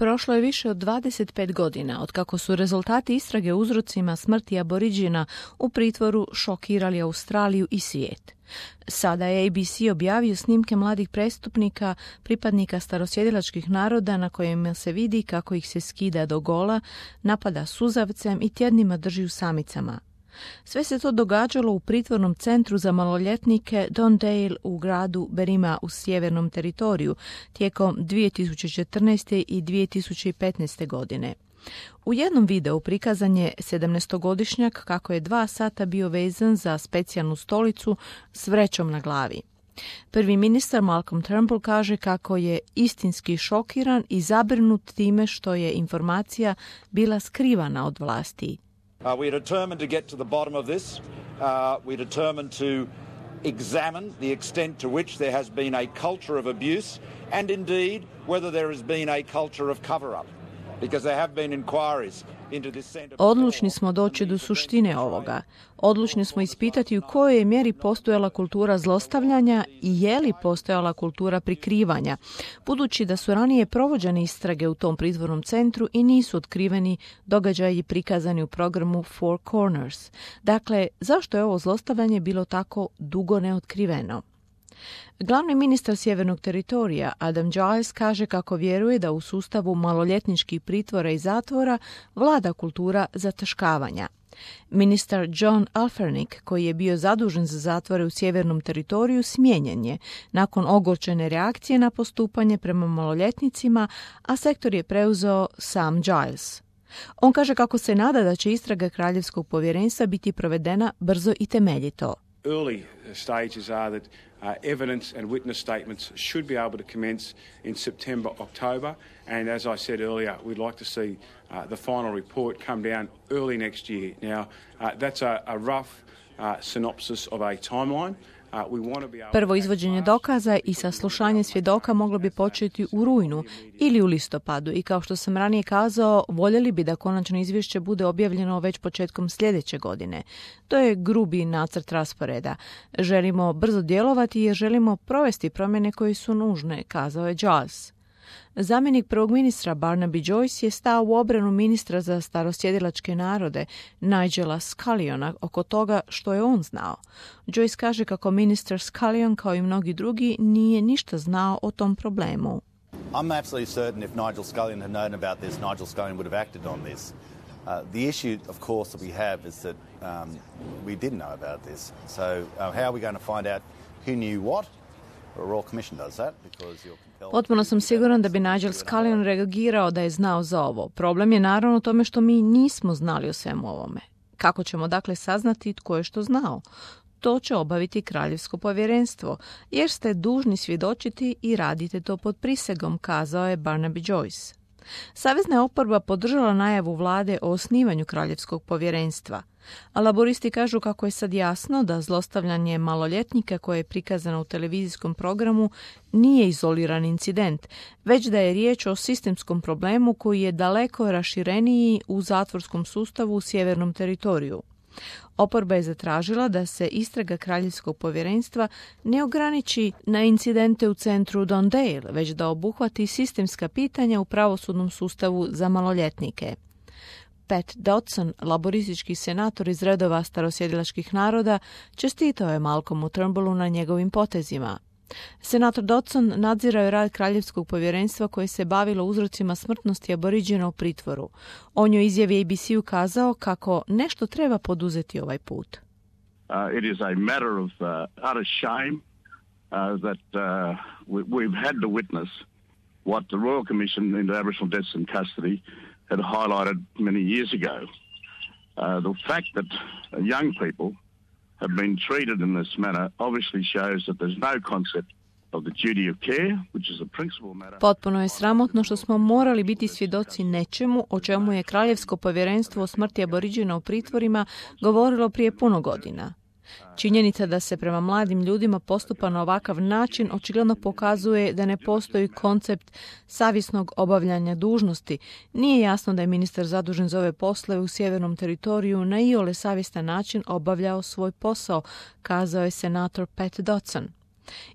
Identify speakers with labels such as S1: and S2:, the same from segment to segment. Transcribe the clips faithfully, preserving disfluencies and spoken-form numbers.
S1: Prošlo je više od dvadeset pet godina otkako su rezultati istrage o uzrocima smrti Aboriđina u pritvoru šokirali Australiju i svijet. Sada je A B C objavio snimke mladih prestupnika, pripadnika starosjedilačkih naroda na kojima se vidi kako ih se skida do gola, napada suzavcem i tjednima drži u samicama. Sve se to događalo u pritvornom centru za maloljetnike Don Dale u gradu Berrima u sjevernom teritoriju tijekom dvije tisuće četrnaeste. i dvije tisuće petnaeste. godine. U jednom videu prikazan je sedamnaestogodišnjak kako je dva sata bio vezan za specijalnu stolicu s vrećom na glavi. Prvi ministar Malcolm Turnbull kaže kako je istinski šokiran i zabrinut time što je informacija bila skrivana od vlasti.
S2: Uh, we're determined to get to the bottom of this. Uh, we're determined to examine the extent to which there has been a culture of abuse and indeed whether there has been a culture of cover-up. Because there have been inquiries into this center.
S1: Odlučni smo doći do suštine ovoga. Odlučni smo ispitati u kojoj je mjeri postojala kultura zlostavljanja i je li postojala kultura prikrivanja, budući da su ranije provođene istrage u tom pritvornom centru i nisu otkriveni događaji prikazani u programu Four Corners. Dakle, zašto je ovo zlostavljanje bilo tako dugo neotkriveno? Glavni ministar sjevernog teritorija Adam Giles kaže kako vjeruje da u sustavu maloljetničkih pritvora i zatvora vlada kultura zataškavanja. Ministar John Alfernik, koji je bio zadužen za zatvore u sjevernom teritoriju, smijenjen je nakon ogorčene reakcije na postupanje prema maloljetnicima, a sektor je preuzeo sam Giles. On kaže kako se nada da će istraga Kraljevskog povjerenstva biti provedena brzo i temeljito.
S3: Early stages are that uh, evidence and witness statements should be able to commence in September, October, and as I said earlier, we'd like to see uh, the final report come down early next year. Now, uh, that's a, a rough uh, synopsis of a timeline.
S1: Prvo izvođenje dokaza i saslušanje svjedoka moglo bi početi u rujnu ili u listopadu i kao što sam ranije kazao, voljeli bi da konačno izvješće bude objavljeno već početkom sljedeće godine. To je grubi nacrt rasporeda. Želimo brzo djelovati jer želimo provesti promjene koje su nužne, kazao je Giles. Zamjenik prvog ministra Barnaby Joyce je stao u obranu ministra za starosjedilačke narode Nigela Sculliona oko toga što je on znao. Joyce kaže kako ministar Scullion, kao i mnogi drugi, nije ništa znao o tom problemu.
S4: I'm absolutely certain if Nigel Scullion had known about this, Nigel Scullion would have acted on this. Uh, the issue, of course, that we have is that um, we didn't know about this. So uh, how are we going to find out who knew what? A Royal Commission does that because you're
S1: Potpuno sam siguran da bi Nigel Scullion reagirao da je znao za ovo. Problem je naravno u tome što mi nismo znali o svemu ovome. Kako ćemo dakle saznati tko je što znao? To će obaviti Kraljevsko povjerenstvo, jer ste dužni svjedočiti i radite to pod prisegom, kazao je Barnaby Joyce. Savezna je oporba podržala najavu vlade o osnivanju Kraljevskog povjerenstva, a laboristi kažu kako je sad jasno da zlostavljanje maloljetnika koje je prikazano u televizijskom programu nije izoliran incident, već da je riječ o sistemskom problemu koji je daleko rašireniji u zatvorskom sustavu u sjevernom teritoriju. Oporba je zatražila da se istraga Kraljevskog povjerenstva ne ograniči na incidente u centru Don Dale, već da obuhvati sistemska pitanja u pravosudnom sustavu za maloljetnike. Pat Dodson, laboristički senator iz redova starosjedilačkih naroda, čestitao je Malcolmu Turnbullu na njegovim potezima. Senator Dodson nadzirao je rad Kraljevskog povjerenstva koje se bavilo uzrocima smrtnosti Aboriđina u pritvoru. On je izjavi A B C ukazao kako nešto treba poduzeti ovaj put.
S5: Uh, it is a matter of uh, utter shame uh, that uh, we, we've had to witness what the Royal Commission into Aboriginal Deaths in Custody had highlighted many years ago. Uh, the fact that young people have been treated in this manner obviously shows that there's no concept of the duty of care, which is a principal matter.
S1: Potpuno je sramotno što smo morali biti svjedoci nečemu o čemu je Kraljevsko povjerenstvo o smrti Aboriđina u pritvorima govorilo prije puno godina. Činjenica da se prema mladim ljudima postupa na ovakav način očigledno pokazuje da ne postoji koncept savjesnog obavljanja dužnosti. Nije jasno da je ministar zadužen za ove poslove u sjevernom teritoriju na iole savjestan način obavljao svoj posao, kazao je senator Pat Dodson.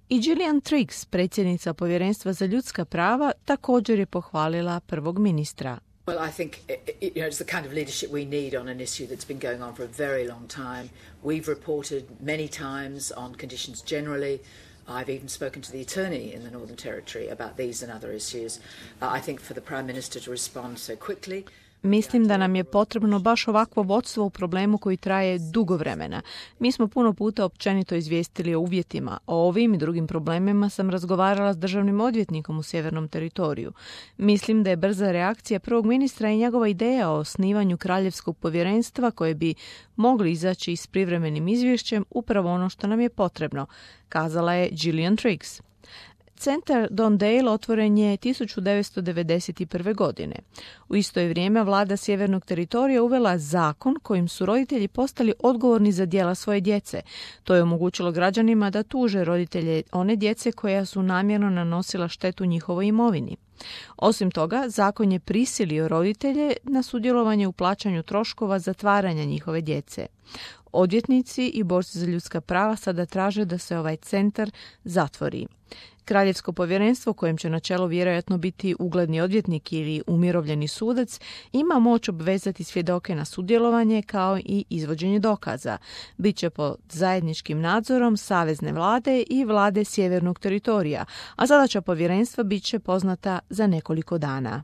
S1: I Gillian Triggs, predsjednica Povjerenstva za ljudska prava, također je pohvalila prvog ministra.
S6: Well, I think you know, it's the kind of leadership we need on an issue that's been going on for a very long time. We've reported many times on conditions generally. I've even spoken to the attorney in the Northern Territory about these and other issues. Uh, I think for the Prime Minister to respond so quickly.
S1: Mislim da nam je potrebno baš ovakvo vodstvo u problemu koji traje dugo vremena. Mi smo puno puta općenito izvijestili o uvjetima. O ovim i drugim problemima sam razgovarala s državnim odvjetnikom u Sjevernom teritoriju. Mislim da je brza reakcija prvog ministra i njegova ideja o osnivanju kraljevskog povjerenstva koje bi mogli izaći s privremenim izvješćem upravo ono što nam je potrebno, kazala je Gillian Triggs. Centar Don Dale otvoren je tisuću devetsto devedeset prve. godine. U isto je vrijeme vlada Sjevernog teritorija uvela zakon kojim su roditelji postali odgovorni za djela svoje djece. To je omogućilo građanima da tuže roditelje one djece koja su namjerno nanosila štetu njihovoj imovini. Osim toga, zakon je prisilio roditelje na sudjelovanje u plaćanju troškova zatvaranja njihove djece. Odvjetnici i borci za ljudska prava sada traže da se ovaj centar zatvori. Kraljevsko povjerenstvo, kojem će na čelu vjerojatno biti ugledni odvjetnik ili umirovljeni sudac, ima moć obvezati svjedoke na sudjelovanje kao i izvođenje dokaza. Biće pod zajedničkim nadzorom savezne vlade i vlade Sjevernog teritorija, a zadaća povjerenstva bit će poznata za nekoliko dana.